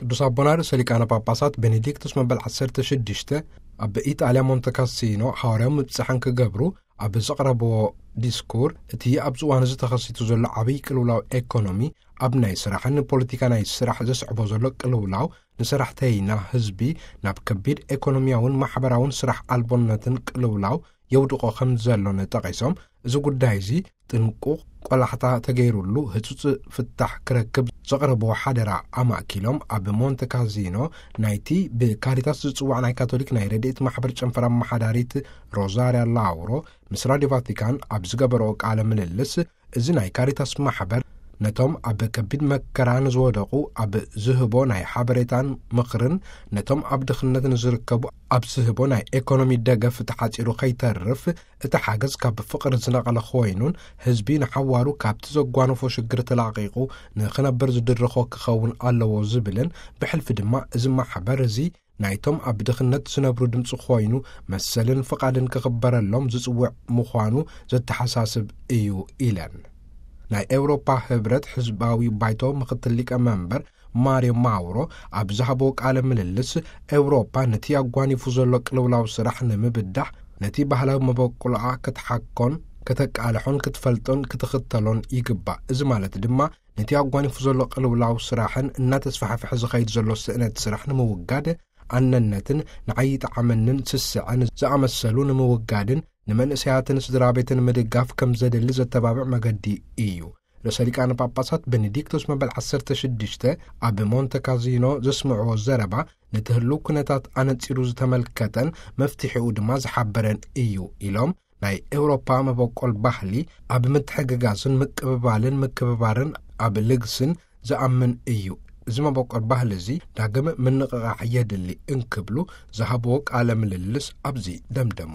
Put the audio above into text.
ቅዱስ ኣቦና ርእሰ ሊቃነ ጳጳሳት ቤኔዲክቱስ መበል ዓሰርተ ሽዱሽተ ኣብ ኢጣልያ ሞንተ ካሲኖ ሓዋርያዊ ምብጻሕን ክገብሩ ኣብ ዘቕረብዎ ዲስኩር፣ እቲ ኣብዚ እዋን እዚ ተኸሲቱ ዘሎ ዓብዪ ቅልውላው ኤኮኖሚ፣ ኣብ ናይ ስራሕን ፖለቲካ ናይ ስራሕ ዘስዕቦ ዘሎ ቅልውላው፣ ንሰራሕተይና ህዝቢ ናብ ከቢድ ኤኮኖሚያውን ማሕበራውን ስራሕ ኣልቦነትን ቅልውላው የውድቖ ከም ዘሎን ጠቒሶም፣ እዚ ጉዳይ እዚ ጥንቁቕ ቆላሕታ ተገይሩሉ ህጹጽ ፍታሕ ክረክብ ዘቕረብዎ ሓደራ ኣማእኪሎም፣ ኣብ ሞንተ ካዚኖ ናይቲ ብካሪታስ ዝጽዋዕ ናይ ካቶሊክ ናይ ረድኤት ማሕበር ጨንፈር ኣመሓዳሪት ሮዛርያ ላውሮ ምስ ራድዮ ቫቲካን ኣብ ዝገበረኦ ቃለ ምልልስ፣ እዚ ናይ ካሪታስ ማሕበር ነቶም ኣብ ከቢድ መከራ ንዝወደቑ ኣብ ዝህቦ ናይ ሓበሬታን ምኽርን፣ ነቶም ኣብ ድኽነት ንዝርከቡ ኣብ ዝህቦ ናይ ኤኮኖሚ ደገፍ ተሓጺሩ ከይተርፍ፣ እቲ ሓገዝ ካብ ፍቕሪ ዝነቐለ ኮይኑን ህዝቢ ንሓዋሩ ካብቲ ዘጓነፎ ሽግር ተላቒቑ ንኽነብር ዝድርኾ ክኸውን ኣለዎ ዝብልን፣ ብሕልፊ ድማ እዚ ማሕበር እዚ ናይቶም ኣብ ድኽነት ዝነብሩ ድምፂ ኮይኑ መሰልን ፍቓድን ክኽበረሎም ዝጽውዕ ምዃኑ ዘተሓሳስብ እዩ ኢለን። ናይ ኤውሮፓ ህብረት ህዝባዊ ባይቶ ምኽትል ሊቀ መንበር ማርዮ ማውሮ ኣብ ዝሃቦ ቃለ ምልልስ፣ ኤውሮፓ ነቲ ኣጓኒፉ ዘሎ ቅልውላው ስራሕ ንምብዳሕ፣ ነቲ ባህላዊ መበቆልኣ ክትሓኮን፣ ከተቃልሖን ክትፈልጦን ክትኽተሎን ይግባእ። እዚ ማለት ድማ ነቲ ኣጓኒፉ ዘሎ ቅልውላው ስራሕን እናተስፋሕፍሐ ዝኸይድ ዘሎ ስእነት ስራሕ ንምውጋድ፣ ኣነነትን ንዓይ ይጠዓመንን ስስዐን ዝኣመሰሉ ንምውጋድን ንመንእሰያትን ስድራ ቤትን ምድጋፍ ከም ዘድሊ ዘተባብዕ መገዲ እዩ። ርእሰ ሊቃነ ጳጳሳት ቤኔዲክቶስ መበል ዓሰርተ ሽዱሽተ ኣብ ሞንተ ካዚኖ ዘስምዕዎ ዘረባ፣ ነቲ ህሉው ኩነታት ኣነጺሩ ዝተመልከተን መፍትሒኡ ድማ ዝሓበረን እዩ ኢሎም፣ ናይ ኤውሮፓ መበቆል ባህሊ ኣብ ምትሕግጋዝን ምቅብባልን ምክብባርን ኣብ ልግስን ዝኣምን እዩ። እዚ መበቆል ባህሊ እዚ ዳግም ምንቕቓሕ የድሊ እንክብሉ ዝሃብዎ ቃለ ምልልስ ኣብዚ ደምደሙ።